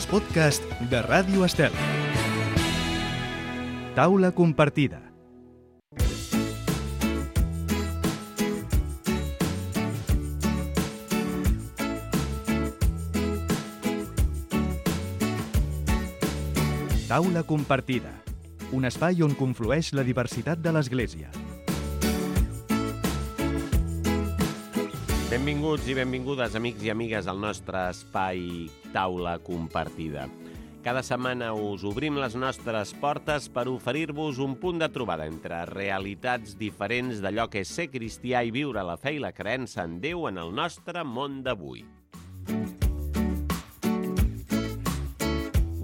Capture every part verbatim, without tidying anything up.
els podcasts de Ràdio Estel. Taula compartida. Taula compartida, un espai on conflueix la diversitat de l'Església. Benvinguts i benvingudes, amics i amigues, al nostre espai Taula compartida. Cada setmana us obrim les nostres portes per oferir-vos un punt de trobada entre realitats diferents d'allò que és ser cristià i viure la fe i la creença en Déu en el nostre món d'avui.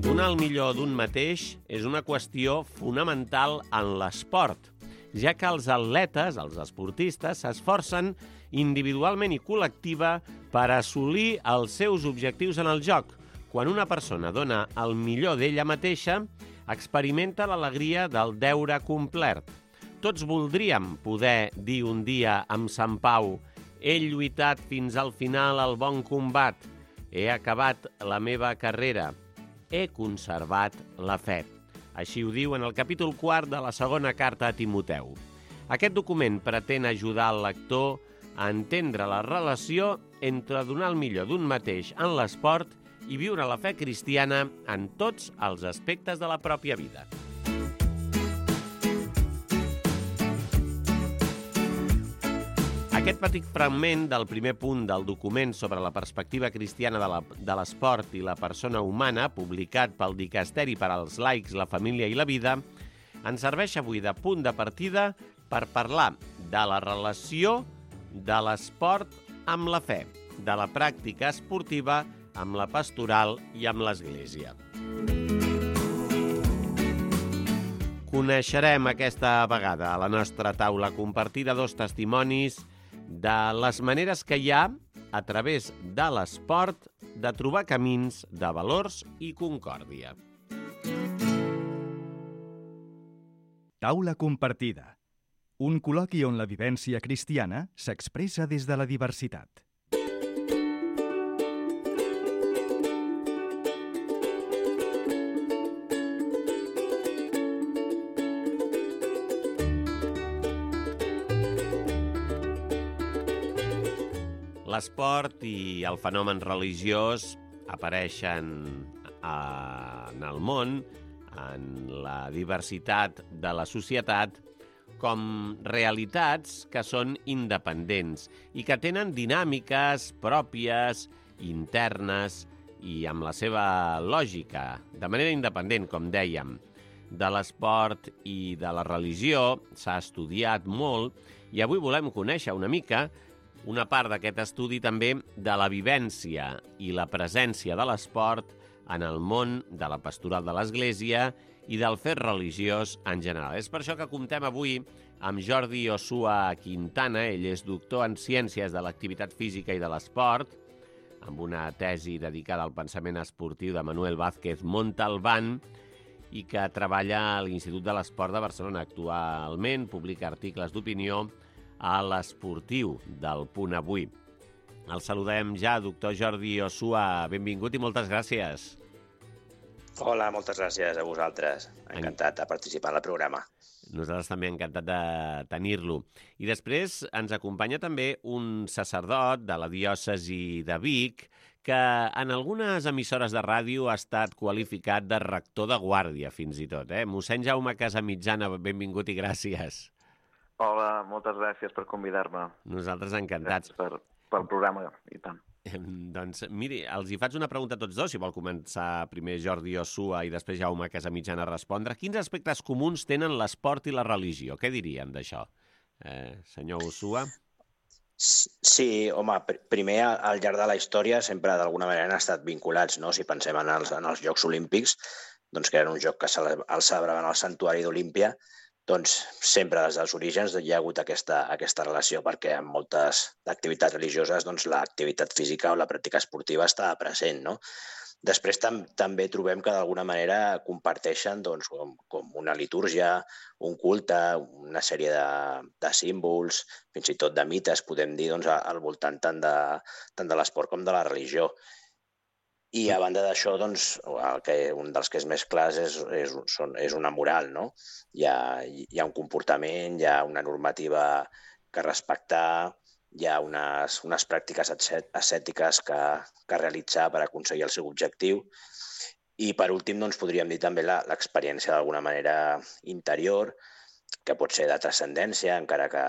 Donar el millor d'un mateix és una qüestió fonamental en l'esport, ja que els atletes, els esportistes, s'esforcen individualment i col·lectiva per assolir els seus objectius en el joc. Quan una persona dona el millor d'ella mateixa, experimenta l'alegria del deure complert. Tots voldríem poder dir un dia amb Sant Pau: he lluitat fins al final el bon combat, he acabat la meva carrera, he conservat la fe. Així ho diu en el capítol quart de la segona carta a Timoteu. Aquest document pretén ajudar el lector a entendre la relació entre donar el millor d'un mateix en l'esport i viure la fe cristiana en tots els aspectes de la pròpia vida. Aquest petit fragment del primer punt del document sobre la perspectiva cristiana de l'esport i la persona humana, publicat pel Dicasteri per als laics, la família i la vida, ens serveix avui de punt de partida per parlar de la relació de l'esport amb la fe, de la pràctica esportiva amb la pastoral i amb l'Església. Coneixerem aquesta vegada a la nostra taula compartida dos testimonis de les maneres que hi ha, a través de l'esport, de trobar camins de valors i concòrdia. Taula compartida. Un col·loqui on la vivència cristiana s'expressa des de la diversitat. L'esport i el fenomen religiós apareixen en el món, en la diversitat de la societat, com realitats que són independents i que tenen dinàmiques pròpies, internes i amb la seva lògica, de manera independent, com dèiem. De l'esport i de la religió s'ha estudiat molt i avui volem conèixer una mica una part d'aquest estudi també de la vivència i la presència de l'esport en el món de la pastoral de l'Església i del fet religiós en general. És per això que comptem avui amb Jordi Osua Quintana. Ell és doctor en Ciències de l'Activitat Física i de l'Esport, amb una tesi dedicada al pensament esportiu de Manuel Vázquez Montalbán i que treballa a l'Institut de l'Esport de Barcelona. Actualment publica articles d'opinió a l'Esportiu del Punt Avui. El saludem ja, doctor Jordi Osua. Benvingut i moltes gràcies. Hola, moltes gràcies a vosaltres. Encantat de participar en el programa. Nosaltres també encantat de tenir-lo. I després ens acompanya també un sacerdot de la diòcesi de Vic que en algunes emissores de ràdio ha estat qualificat de rector de guàrdia, fins i tot. Eh? Mossèn Jaume Casamitjana, benvingut i gràcies. Hola, moltes gràcies per convidar-me. Nosaltres encantats. Gràcies per, pel programa, i tant. Doncs, miri, els hi faig una pregunta a tots dos, si vol començar primer Jordi Osua i després Jaume Casamitjana a respondre. Quins aspectes comuns tenen l'esport i la religió? Què dirien d'això? Eh, senyor Osua? Sí, home, primer, al llarg de la història sempre d'alguna manera han estat vinculats, no? Si pensem en els, en els Jocs Olímpics, doncs que era un joc que se el celebraven al Santuari d'Olímpia, doncs sempre des dels orígens hi ha hagut aquesta, aquesta relació, perquè en moltes activitats religioses doncs, l'activitat física o la pràctica esportiva està present, no? Després tam també trobem que d'alguna manera comparteixen doncs, com, com una litúrgia, un culte, una sèrie de, de símbols, fins i tot de mites, podem dir, doncs, al voltant tant de, tant de l'esport com de la religió. I a banda d'això, doncs, el que, un dels que és més clars és, és, són, és una moral, no? Hi ha, hi ha un comportament, hi ha una normativa que respectar, hi ha unes, unes pràctiques ascètiques que, que realitzar per aconseguir el seu objectiu. I, per últim, doncs, podríem dir també l'experiència d'alguna manera interior, que pot ser de transcendència, encara que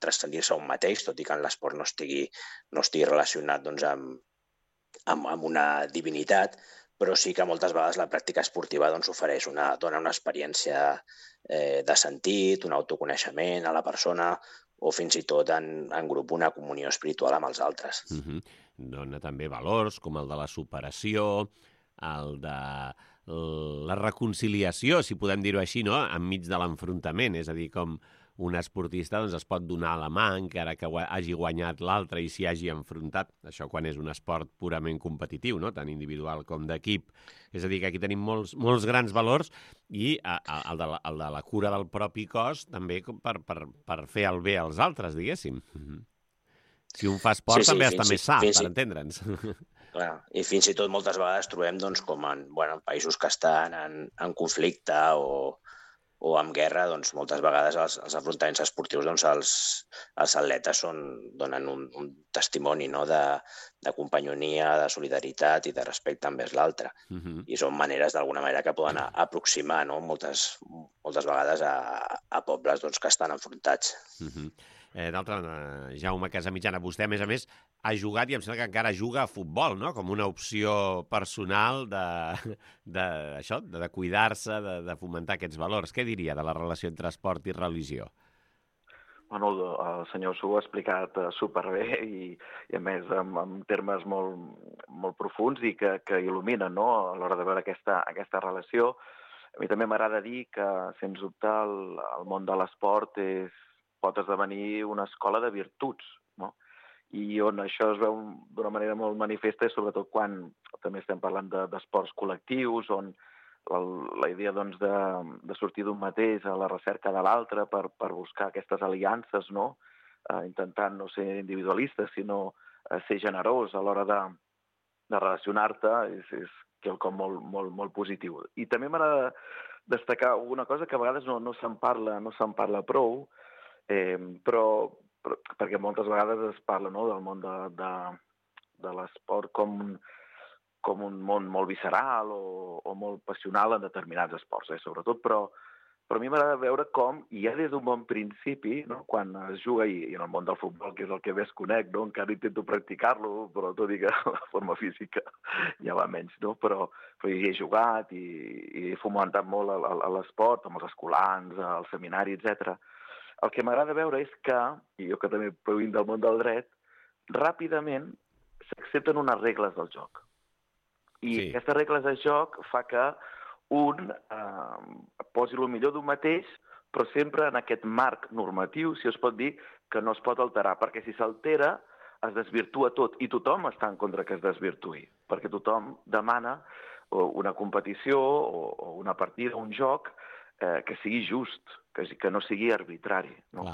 transcendir-se a un mateix, tot i que en l'esport no estigui, no estigui relacionat doncs, amb, amb, amb una divinitat, però sí que moltes vegades la pràctica esportiva doncs, ofereix una, dona una experiència eh, de sentit, un autoconeixement a la persona, o fins i tot en, en grup una comunió espiritual amb els altres. Uh-huh. Dona també valors com el de la superació, el de la reconciliació, si podem dir-ho així, no? Enmig de l'enfrontament, és a dir, com un esportista doncs, es pot donar la mà encara que hagi guanyat l'altre i s'hi hagi enfrontat. Això quan és un esport purament competitiu, no? Tant individual com d'equip. És a dir, que aquí tenim molts, molts grans valors i a, a, el, de la, el de la cura del propi cos també per, per, per fer el bé als altres, diguéssim. Mm-hmm. Si un fa esport sí, sí, també està més sa, per i... entendre'ns. Clar, i fins i tot moltes vegades trobem doncs, com en bueno, països que estan en, en conflicte o, o en guerra, doncs, moltes vegades els, els afrontaments esportius, doncs, els, els atletes són, donen un, un testimoni, no? de, de companyonia, de solidaritat i de respecte envers l'altre. Uh-huh. I són maneres, d'alguna manera, que poden aproximar, no? moltes, moltes vegades a, a pobles doncs, que estan enfrontats. Uh-huh. Eh, D'altra banda, Jaume Casamitjana, vostè, a més a més, ha jugat i em sembla que encara juga a futbol, no? Com una opció personal de, de, això, de, de cuidar-se, de, de fomentar aquests valors. Què diria de la relació entre esport i religió? Bueno, el senyor Su ha explicat superbé i, i a més, en, en termes molt, molt profuns i que, que il·luminen, no? A l'hora de veure aquesta, aquesta relació. A mi també m'agrada dir que, sens dubte, el, el món de l'esport és pot esdevenir una escola de virtuts, no? I on això es veu d'una manera molt manifesta, sobretot quan també estem parlant d'esports de, col·lectius, on la, la idea doncs, de, de sortir d'un mateix a la recerca de l'altre per, per buscar aquestes aliances, no? Eh, intentant no ser individualista, sinó eh, ser generós a l'hora de, de relacionar-te, és, és quelcom molt, molt, molt positiu. I també m'agrada destacar una cosa que a vegades no, no se'n parla, no se'n parla prou, Eh, però, però perquè moltes vegades es parla, no, del món de, de, de l'esport com, com un món molt visceral o, o molt passional en determinats esports, eh, sobretot, però, però a mi m'agrada veure com, ja des d'un bon principi, no, quan es juga, i, i en el món del futbol, que és el que més conec, no, encara intento practicar-lo, però tot i que la forma física ja va menys, no? però, però hi he jugat i, i he fomentat molt l'esport, amb els escolans, el seminari, etcètera. El que m'agrada veure és que, i jo que també provinc del món del dret, ràpidament s'accepten unes regles del joc. I sí. Aquestes regles del joc fa que un eh, posi el millor d'un mateix, però sempre en aquest marc normatiu, si es pot dir, que no es pot alterar, perquè si s'altera es desvirtua tot, i tothom està en contra que es desvirtui, perquè tothom demana una competició o, o una partida, un joc, Eh, que sigui just, que, que no sigui arbitrari. No?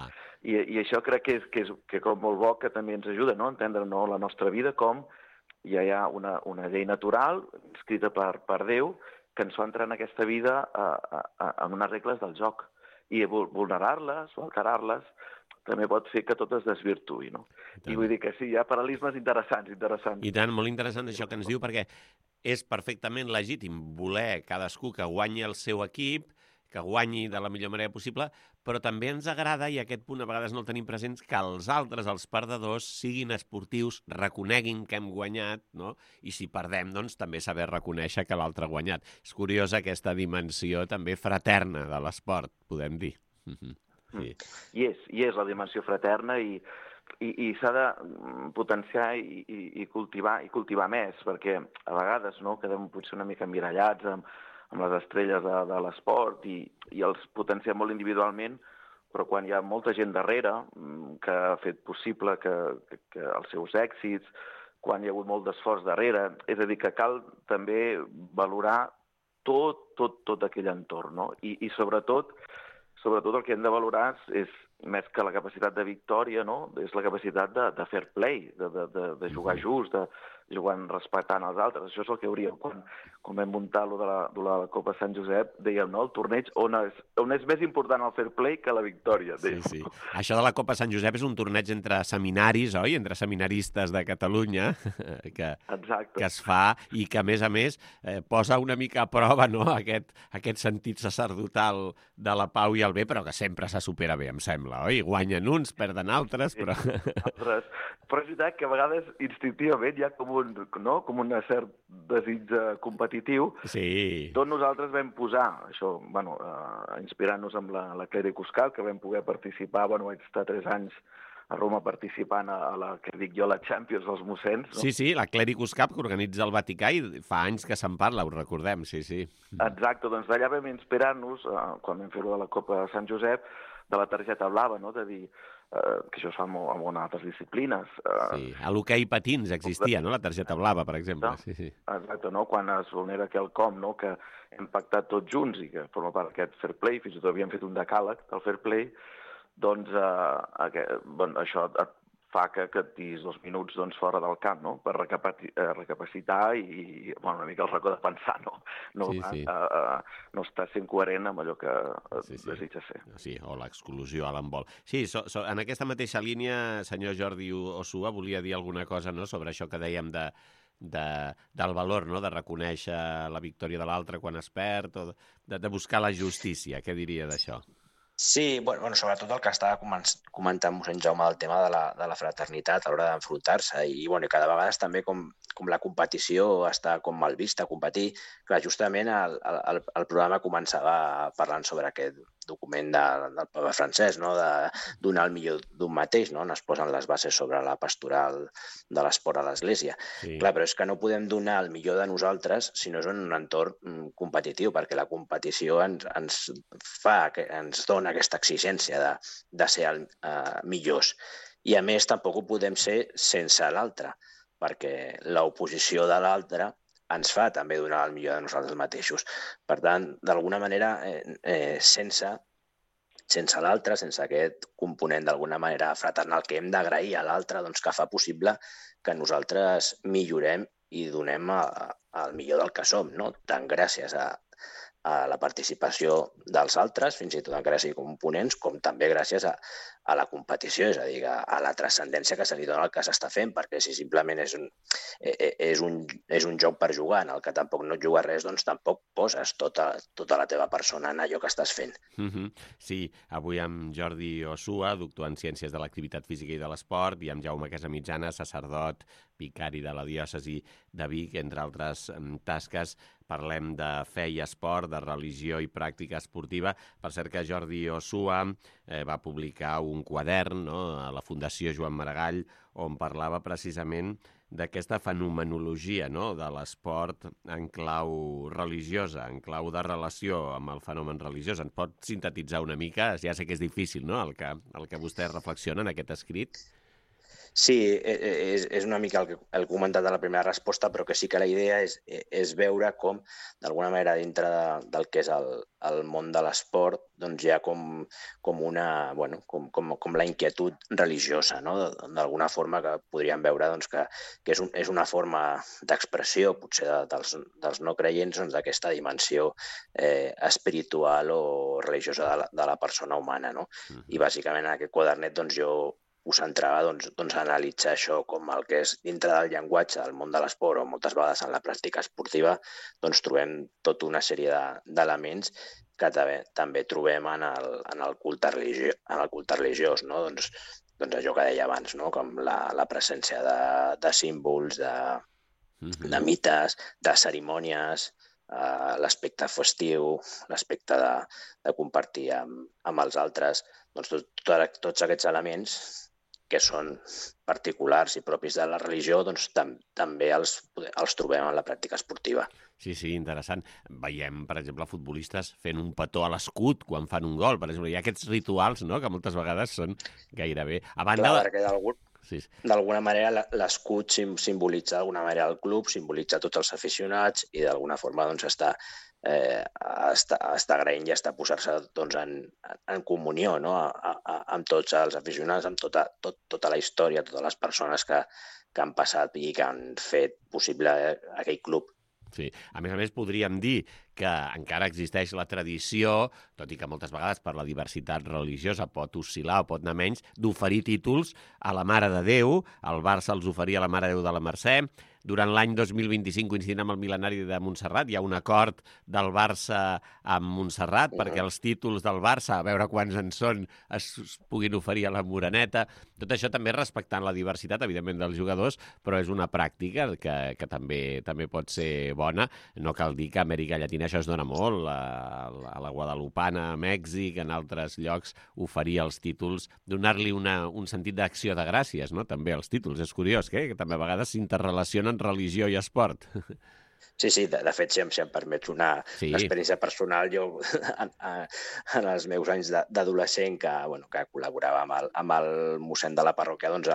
I, I això crec que és, que és que com molt bo que també ens ajuda, no? a entendre, no, la nostra vida com ja hi ha una, una llei natural escrita per, per Déu que ens fa entrar en aquesta vida a, a, a, amb unes regles del joc. I vulnerar-les o alterar-les també pot fer que tot es desvirtuï. No? I, I vull dir que sí, hi ha paral·lelismes interessants, interessants. I tant, molt interessant això que ens diu, perquè és perfectament legítim voler cadascú que guanyi el seu equip, que guanyi de la millor manera possible, però també ens agrada, i aquest punt a vegades no el tenim presents, que els altres, els perdedors, siguin esportius, reconeguin que hem guanyat, no? I si perdem, doncs també saber reconèixer que l'altre ha guanyat. És curiosa aquesta dimensió també fraterna de l'esport, podem dir. Sí. I és, i és la dimensió fraterna i, i, i s'ha de potenciar i, i, i, cultivar, i cultivar més, perquè a vegades no, quedem potser una mica emmirallats amb amb les estrelles de, de l'esport i, i els potenciem molt individualment, però quan hi ha molta gent darrere que ha fet possible que, que, que els seus èxits, quan hi ha hagut molt d'esforç darrere, és a dir, que cal també valorar tot, tot, tot aquell entorn, no? I, i sobretot, sobretot el que hem de valorar és més que la capacitat de victòria, no? És la capacitat de, de fair play, de, de, de, de jugar just, de jugant respectant els altres. Això és el que hauríem, quan, quan vam muntar lo de, la, de la Copa Sant Josep, dèiem, no?, el torneig on és, on és més important el fair play que la victòria. Sí, sí. Això de la Copa Sant Josep és un torneig entre seminaris, oi?, entre seminaristes de Catalunya, que, que es fa i que, a més a més, eh, posa una mica a prova, no?, aquest, aquest sentit sacerdotal de la pau i el bé, però que sempre se supera bé, em sembla, oi? Guanyen uns, perden altres, però... Sí, altres. Però és veritat que a vegades instintivament hi ha com un, no? com un cert desig competitiu. Sí. Tots nosaltres vam posar, això, bueno, uh, inspirant-nos amb la, la Clèria Cuscal, que vam poder participar, bueno, vaig estar tres anys a Roma participant a, a la, que dic jo, la Champions dels mossens. No? Sí, sí, la Clericus Cup que organitza el Vaticà i fa anys que se'n parla, ho recordem, sí, sí. Exacte, doncs d'allà vam inspirar-nos, uh, quan vam fer-ho de la Copa Sant Josep, de la targeta blava, no?, de dir uh, que això es fa molt, amb altres disciplines. Uh, sí, a l'hoquei patins existia, no?, la targeta blava, per exemple. Sí, sí. Exacte, no?, quan es vulnera quelcom, no?, que hem pactat tots junts i que forma part d'aquest fair play, fins i tot havíem fet un decàleg del fair play, doncs uh, aquest, bueno, això et fa que, que et diguis dos minuts doncs, fora del camp, no?, per recapacitar i, bueno, una mica el racó de pensar, no? No, sí, sí. Uh, uh, no estar sent coherent amb allò que sí, sí. desitja ser. Sí, o l'exclusió a l'embol. Sí, so, so, en aquesta mateixa línia, senyor Jordi Osua, volia dir alguna cosa, no?, sobre això que dèiem de, de, del valor, no?, de reconèixer la victòria de l'altre quan es perd, o de, de buscar la justícia. Què diria d'això? Sí, bueno, bueno, sobretot el que estava comentant mossèn Jaume del tema de la, de la fraternitat a l'hora d'enfrontar-se i, bueno, i cada vegada també com, com la competició està com mal vista, competir. Clar, justament el, el, el programa començava parlant sobre aquest document de, del Papa Francesc, no?, de donar el millor d'un mateix, no?, on es posen les bases sobre la pastoral de l'esport a l'Església. Sí. Clar, però és que no podem donar el millor de nosaltres si no és en un entorn competitiu, perquè la competició ens, ens fa, ens dona aquesta exigència de, de ser el, uh, millors. I, a més, tampoc ho podem ser sense l'altre, perquè l'oposició de l'altre ens fa també donar el millor de nosaltres mateixos. Per tant, d'alguna manera, eh, eh, sense, sense l'altre, sense aquest component d'alguna manera fraternal que hem d'agrair a l'altre, doncs que fa possible que nosaltres millorem i donem a, a, el millor del que som, no? Tant gràcies a, a la participació dels altres, fins i tot encara sigui components, com també gràcies a, a la competició, és a dir, a, a la transcendència que se li dona al que s'està fent, perquè si simplement és un, és, un, és un joc per jugar en el que tampoc no et juga res, doncs tampoc poses tota, tota la teva persona en allò que estàs fent. Mm-hmm. Sí, avui amb Jordi Osua, doctor en Ciències de l'Activitat Física i de l'Esport, i amb Jaume Casamitjana, sacerdot, vicari de la diòcesi de Vic, entre altres tasques. Parlem de fe i esport, de religió i pràctica esportiva. Per cert que Jordi Osua eh, va publicar un quadern, no?, a la Fundació Joan Maragall, on parlava precisament d'aquesta fenomenologia, no?, de l'esport en clau religiosa, en clau de relació amb el fenomen religiós. Ens pot sintetitzar una mica? Ja sé que és difícil, no?, el que, el que vostè reflexiona en aquest escrit. Sí, és, és una mica el que he comentat a la primera resposta, però que sí que la idea és, és veure com, d'alguna manera, dintre de, del que és el, el món de l'esport, doncs hi ha com, com, una, bueno, com, com, com la inquietud religiosa, no?, d'alguna forma que podríem veure doncs, que, que és, un, és una forma d'expressió, potser de, dels, dels no creients, doncs, d'aquesta dimensió eh, espiritual o religiosa de la, de la persona humana, no? Mm-hmm. I bàsicament en aquest quadernet doncs, jo ho centrava doncs, doncs, a analitzar això com el que és dintre del llenguatge del món de l'esport o moltes vegades en la pràctica esportiva, doncs trobem tota una sèrie d'elements que també, també trobem en el, en el culte religiós, en el culte religiós, no? Doncs, doncs allò que deia abans, no? Com la, la presència de, de símbols, de, mm-hmm. de mites, de cerimònies, uh, l'aspecte festiu, l'aspecte de, de compartir amb, amb els altres, doncs tot, tot, tots aquests elements que són particulars i propis de la religió, doncs tam també els, els trobem en la pràctica esportiva. Sí, sí, interessant. Veiem, per exemple, futbolistes fent un petó a l'escut quan fan un gol, per exemple. Hi ha aquests rituals, no?, que moltes vegades són gairebé... A banda... Clar, perquè d'algun... Sí. D'alguna manera l'escut simbolitza d'alguna manera el club, simbolitza tots els aficionats i d'alguna forma doncs, està, eh, està, està agraint i està posar-se doncs, en, en comunió, no? a, a, amb tots els aficionats, amb tota, tot, tota la història, totes les persones que, que han passat i que han fet possible aquell club. Sí. A més a més, podríem dir que encara existeix la tradició, tot i que moltes vegades per la diversitat religiosa pot oscil·lar o pot anar menys, d'oferir títols a la Mare de Déu. El Barça els oferia a la Mare de Déu de la Mercè. Durant l'any dos mil vint-i-cinc, coincidint amb el mil·lenari de Montserrat, hi ha un acord del Barça amb Montserrat perquè els títols del Barça, a veure quants en són, es puguin oferir a la Moreneta. Tot això també respectant la diversitat, evidentment, dels jugadors, però és una pràctica que, que també també pot ser bona. No cal dir que a Amèrica Llatina això es dona molt. A, a la Guadalupana, a Mèxic, en altres llocs, oferir els títols, donar-li una, un sentit d'acció de gràcies, no? També els títols. És curiós, eh? Que també a vegades s'interrelacionen religió i esport. Sí, sí, de, de fet, si em, si em permets una, sí. una experiència personal, jo en, en els meus anys d'adolescent que, bueno, que col·laborava amb el, amb el mossèn de la parròquia, doncs,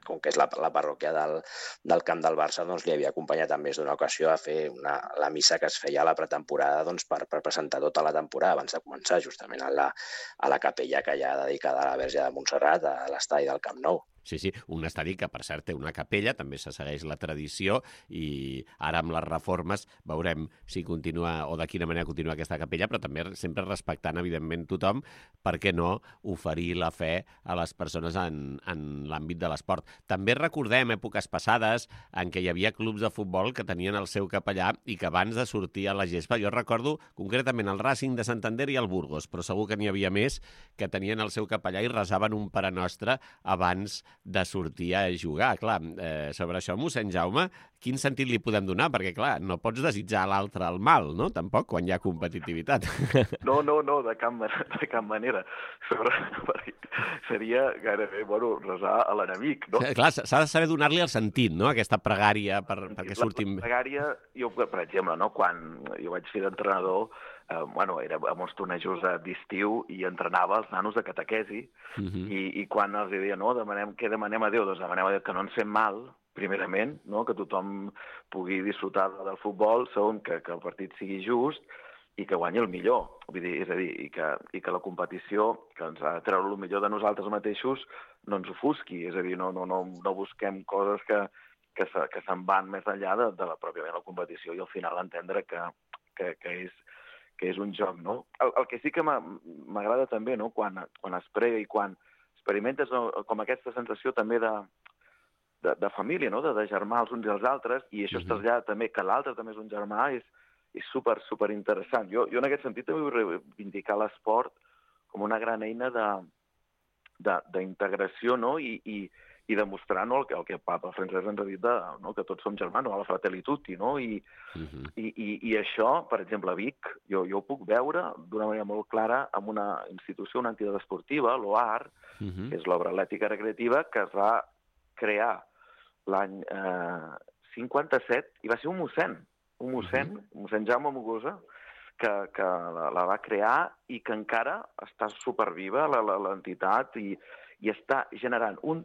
com que és la, la parròquia del, del camp del Barça, doncs li havia acompanyat en més d'una ocasió a fer una, la missa que es feia a la pretemporada doncs, per, per presentar tota la temporada abans de començar, justament a la, a la capella que hi ha dedicada a la Verge de Montserrat, a l'estadi del Camp Nou. Sí, sí, un estadi que, per cert, té una capella, també se segueix la tradició i ara amb les reformes veurem si continua o de quina manera continua aquesta capella, però també sempre respectant, evidentment, tothom, per què no oferir la fe a les persones en, en l'àmbit de l'esport. També recordem èpoques passades en què hi havia clubs de futbol que tenien el seu capellà i que abans de sortir a la gespa, jo recordo concretament el Racing de Santander i el Burgos, però segur que n'hi havia més que tenien el seu capellà i resaven un Pare Nostre abans de sortir a jugar. Clar, eh, sobre això, mossèn Jaume, quin sentit li podem donar? Perquè, clar, no pots desitjar a l'altre el mal, no? Tampoc, quan hi ha competitivitat. No, no, no, de cap, de cap manera. Sobre, seria gairebé, bueno, resar a l'enemic, no? Clar, s'ha de saber donar-li el sentit, no?, aquesta pregària per, perquè surtin... La pregària, jo, per exemple, no?, quan jo vaig fer d'entrenador, eh, bueno, era a molts tornejos d'estiu i entrenava els nanos de catequesi, uh-huh. i, i quan els deia, no, demanem, què demanem a Déu? Doncs demanem a Déu que no ens fem mal, primerament, no?, que tothom pugui disfrutar del futbol, segon, que, que el partit sigui just i que guanyi el millor. Vull dir, és a dir, i que, i que la competició, que ens ha de treure el millor de nosaltres mateixos, no ens ofusqui. És a dir, no, no, no, no busquem coses que, que, se, que se'n van més enllà de, de la pròpiament la competició i al final entendre que, que, que, és, que és un joc, no? El, el que sí que m'agrada també, no?, quan, quan es prega i quan experimentes, no?, com aquesta sensació també de De, de família, no?, de, de germà els uns i els altres, i això uh-huh. es trasllada també que l'altre també és un germà, és, és super, super interessant. Jo, jo en aquest sentit també vull reivindicar l'esport com una gran eina d'integració, no?, i, i, i demostrar, no?, el que el que Papa Francesc ens ha dit, de, no?, que tots som germans, no?, a la Fratelli Tutti, no?, i, uh-huh. i, i, i això, per exemple, a Vic, jo, jo ho puc veure d'una manera molt clara amb una institució, una entitat esportiva, l'O A R, uh-huh. que és l'obra atlètica recreativa, que es va crear l'any eh, cinquanta-set, i va ser un mossèn, un mossèn, uh-huh. mossèn Jaume Mogosa, que, que la, la va crear i que encara està superviva l'entitat i, i està generant un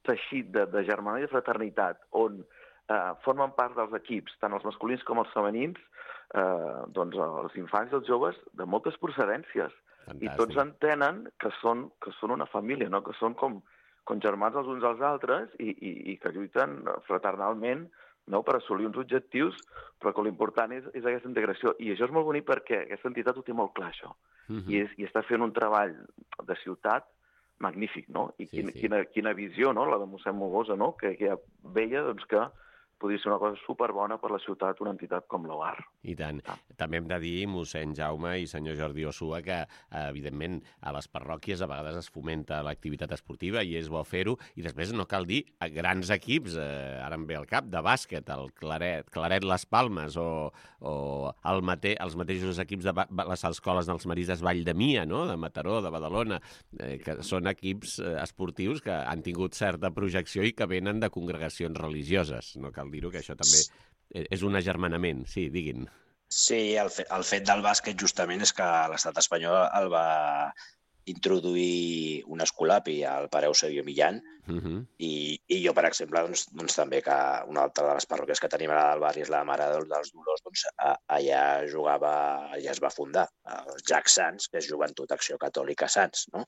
teixit de, de germana i de fraternitat on eh, formen part dels equips, tant els masculins com els femenins, eh, doncs els infants i els joves de moltes procedències. Fantàstic. I tots entenen que són, que són una família, no?, que són com com germans els uns als altres i, i, i que lluiten fraternalment, no?, per assolir uns objectius, però que l'important és, és aquesta integració. I això és molt bonic perquè aquesta entitat ho té molt clar, això. Uh-huh. I, és, I està fent un treball de ciutat magnífic, no? I sí, quina, sí. Quina, quina visió, no?, la de mossèn Mogosa, no?, que, que ja veia doncs, que podria ser una cosa superbona per la ciutat, una entitat com l'O A R. I tant. Ah. També hem de dir, mossèn Jaume i senyor Jordi Osua, que, evidentment, a les parròquies a vegades es fomenta l'activitat esportiva i és bo fer-ho. I després no cal dir a grans equips, eh, ara em ve al cap, de bàsquet, el Claret, Claret Les Palmes o, o el mate, els mateixos equips de les escoles dels Maristes Vall de Mia, no?, de Mataró, de Badalona, eh, que són equips eh, esportius que han tingut certa projecció i que venen de congregacions religioses. No cal dir-ho, que això també és un agermanament. Sí, diguin. Sí, el fet, el fet del bàsquet justament és que l'estat espanyol el va, introduir un escolapi al pare Eusebio Millán, uh -huh. i, i jo, per exemple, doncs, doncs també que una altra de les parròquies que tenim al barri és la Mare dels Dolors, doncs a, allà jugava, allà es va fundar el Jack Sants, que és Joventut Acció Catòlica Sants, no?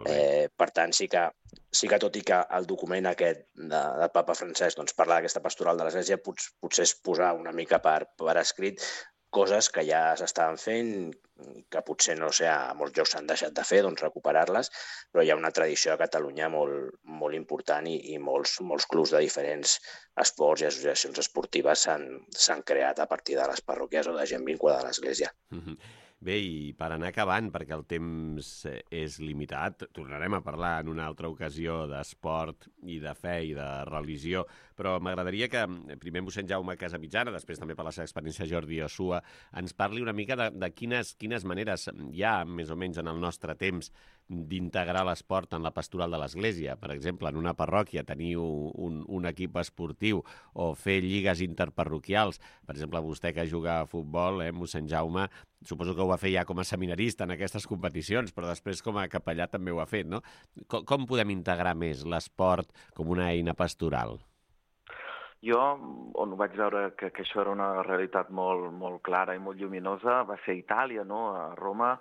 Eh, per tant, sí que, sí que tot i que el document aquest de, del papa Francesc doncs, parla d'aquesta pastoral de l'Església, pot, potser és posar una mica per, per escrit coses que ja s'estaven fent, que potser, no sé, a molts llocs s'han deixat de fer, doncs recuperar-les, però hi ha una tradició a Catalunya molt, molt important i, i molts, molts clubs de diferents esports i associacions esportives s'han creat a partir de les parròquies o de gent vinculada a l'Església. Mm-hmm. Bé, i per anar acabant, perquè el temps és limitat, tornarem a parlar en una altra ocasió d'esport i de fe i de religió, però m'agradaria que primer mossèn Jaume Casamitjana, després també per la seva experiència Jordi Osua, ens parli una mica de, de quines, quines maneres hi ha, més o menys en el nostre temps, d'integrar l'esport en la pastoral de l'Església. Per exemple, en una parròquia tenir un, un equip esportiu o fer lligues interparroquials. Per exemple, vostè que juga a futbol, eh, mossèn Jaume, suposo que ho va fer ja com a seminarista en aquestes competicions, però després com a capellà també ho ha fet, no? Com, com podem integrar més l'esport com una eina pastoral? Jo, on vaig veure que, que això era una realitat molt, molt clara i molt lluminosa, va ser a Itàlia, no? A Roma.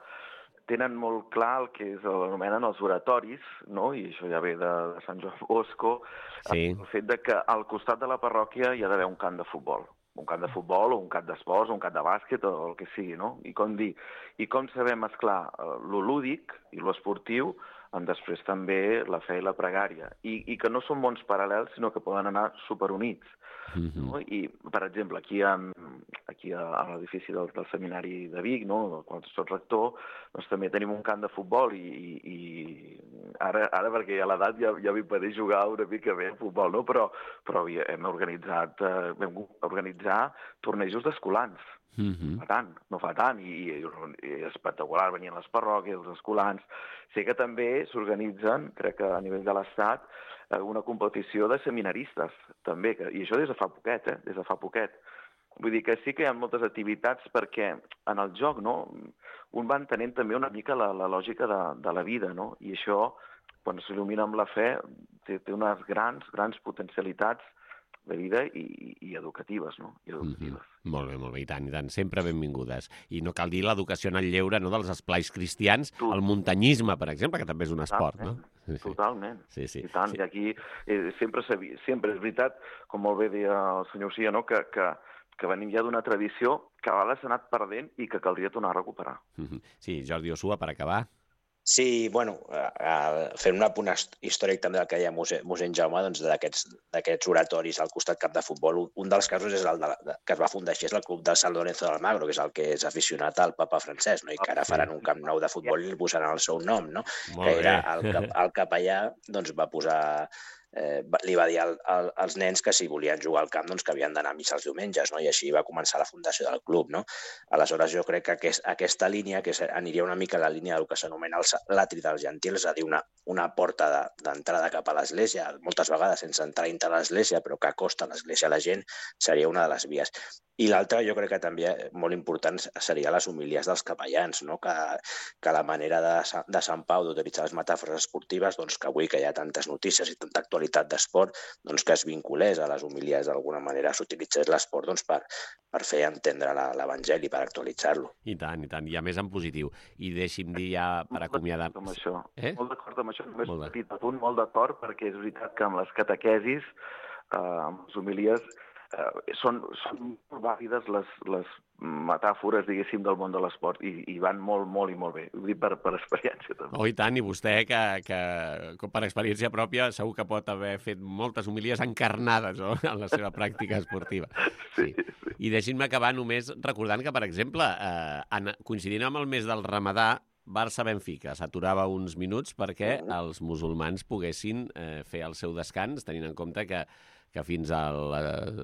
Tenen molt clar el que s'anomenen els oratoris, no? I això ja ve de, de Sant Joan Bosco, sí. El fet de que al costat de la parròquia hi ha d'haver un camp de futbol. Un camp de futbol o un camp d'esports o un camp de bàsquet o el que sigui, no? I com dir, i com saber mesclar lo lúdic i lo esportiu amb després també la fe i la pregària. I, i que no són mons paral·lels, sinó que poden anar superunits. Mm-hmm. No? I, per exemple, aquí, en, aquí a, a l'edifici del, del Seminari de Vic, no? Del qual soc rector, doncs també tenim un camp de futbol i, i, i ara, ara perquè a l'edat ja, ja m'impedeix jugar una mica bé a futbol, no? Però, però hem organitzat, eh, vam organitzar tornejos d'escolans. Mm-hmm. No fa tant, no fa tant, i, i, i espectacular, venien les parròquies, els escolans. Sé que també s'organitzen, crec que a nivell de l'Estat, una competició de seminaristes, també, que, i això des de fa poquet, eh? Des de fa poquet. Vull dir que sí que hi ha moltes activitats perquè en el joc, no?, un va entenent també una mica la, la lògica de, de la vida, no?, i això, quan s'il·lumina amb la fe, té, té unes grans, grans potencialitats de vida i, i educatives, no? I educatives. Mm-hmm. Molt bé, molt bé, i tant, i tant. Sempre benvingudes. I no cal dir l'educació en el lleure, no?, dels esplais cristians, Tot. El muntanyisme, per exemple, que també és un esport, Totalment. No? Sí, sí. Totalment. Sí, sí. I tant, sí. I aquí eh, sempre, sempre és veritat, com molt bé deia el senyor Cia, no?, que, que, que venim ja d'una tradició que a vegades s'ha anat perdent i que caldria tornar a recuperar. Mm-hmm. Sí, Jordi Osua, per acabar. Sí, bueno, eh, fent un apunt històric també del que deia mossèn Jaume, doncs d'aquests oratoris al costat cap de futbol. Un dels casos és el de, de, que es va fundar així, és el club del San Lorenzo de Almagro, que és el que és aficionat al papa Francesc, no? I que ara faran un camp nou de futbol i el posaran el seu nom, no? Molt que era el, el capellà, doncs va posar... Eh, li va dir al, al, als nens que si volien jugar al camp doncs que havien d'anar a missa els diumenges, no? I així va començar la fundació del club, no? Aleshores jo crec que aquest, aquesta línia, que aniria una mica a la línia del que s'anomena l'atri dels gentils, és a dir, una, una porta d'entrada de, cap a l'església, moltes vegades sense entrar dintre l'església, però que acosta l'església a la gent, seria una de les vies. I l'altra, jo crec que també molt important, seria les homilies dels capellans, no? Que, que la manera de, de Sant Pau d'utilitzar les metàfores esportives, doncs que avui que hi ha tantes notícies i tanta actualitat d'esport, doncs que es vinculés a les homilies d'alguna manera, s'utilitzés l'esport doncs, per, per fer entendre l'Evangeli, per actualitzar-lo. I tant, i tant, i a més en positiu. I deixi'm dir ja per acomiadar... Molt d'acord amb això, eh? molt d'acord amb això, només un petit apunt, molt d'acord, perquè és veritat que amb les catequesis, eh, amb les homilies, Uh, són, són molt vàlides les, les metàfores, diguéssim, del món de l'esport i, i van molt, molt i molt bé. Ho dic per, per experiència, també. Oh, i tant, i vostè, que, que per experiència pròpia segur que pot haver fet moltes homilies encarnades, no?, en la seva pràctica esportiva. Sí, sí. Sí. I deixin-me acabar només recordant que, per exemple, eh, en, coincidint amb el mes del Ramadà, Barça-Benfica s'aturava uns minuts perquè els musulmans poguessin eh, fer el seu descans, tenint en compte que que fins a, la,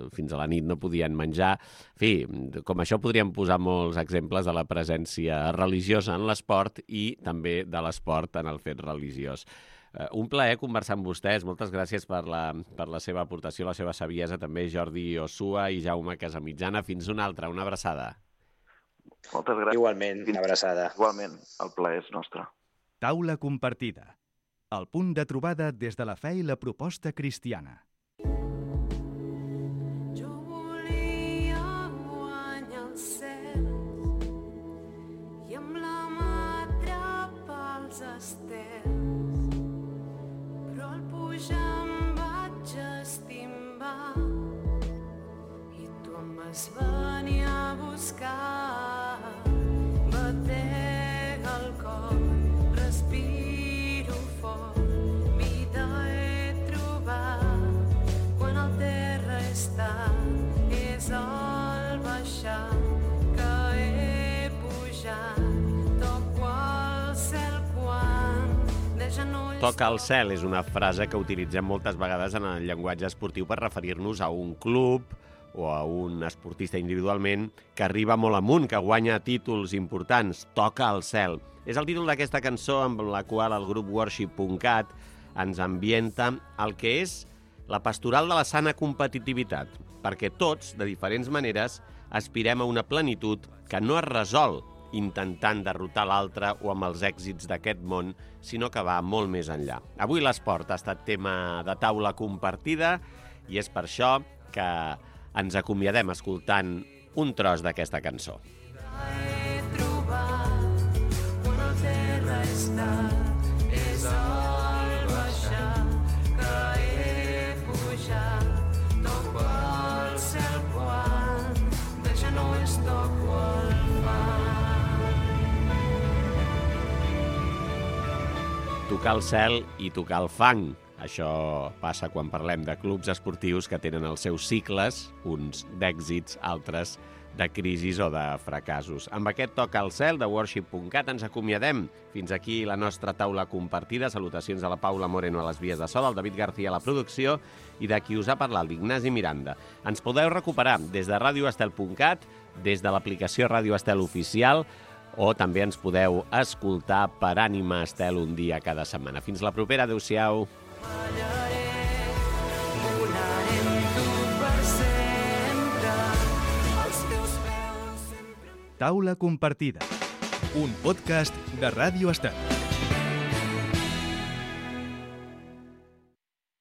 fins a la nit no podien menjar. En fi, com això podríem posar molts exemples de la presència religiosa en l'esport i també de l'esport en el fet religiós. Uh, un plaer conversar amb vostès. Moltes gràcies per la, per la seva aportació, la seva saviesa, també Jordi Osua i Jaume Casamitjana. Fins una altra, una abraçada. Moltes gràcies. Igualment, una abraçada. Igualment, el plaer és nostre. Taula compartida. El punt de trobada des de la fe i la proposta cristiana. Jo volia guanyar el cel i amb la mà atrapar els estels, però al pujar em vaig estimbar i tu em vas venir a buscar. Batega el cor, respiro fort, vida he trobat. Quan el terra està, és al baixar que he pujat. Toco al cel quan de genolls... Toca al cel és una frase que utilitzem moltes vegades en el llenguatge esportiu per referir-nos a un club o a un esportista individualment que arriba molt amunt, que guanya títols importants. Toca al cel. És el títol d'aquesta cançó amb la qual el grup worship punt cat ens ambienta el que és la pastoral de la sana competitivitat, perquè tots, de diferents maneres, aspirem a una plenitud que no es resol intentant derrotar l'altre o amb els èxits d'aquest món, sinó que va molt més enllà. Avui l'esport ha estat tema de taula compartida i és per això que ens acomiadem escoltant un tros d'aquesta cançó. He trobat quan el terra està, és al baixar que he pujat. Toco al cel quan de genolls toco el fang. Tocar el cel i tocar el fang. Això passa quan parlem de clubs esportius que tenen els seus cicles, uns d'èxits, altres de crisis o de fracassos. Amb aquest Toca al cel de worship punt cat ens acomiadem. Fins aquí la nostra taula compartida. Salutacions a la Paula Moreno a les vies de so, del David García a la producció i de qui us ha parlat, l'Ignasi Miranda. Ens podeu recuperar des de radio estel punt cat, des de l'aplicació Ràdio Estel Oficial, o també ens podeu escoltar per Ànima Estel un dia cada setmana. Fins la propera. Adéu-siau. Taula compartida. Un podcast de Ràdio Estel.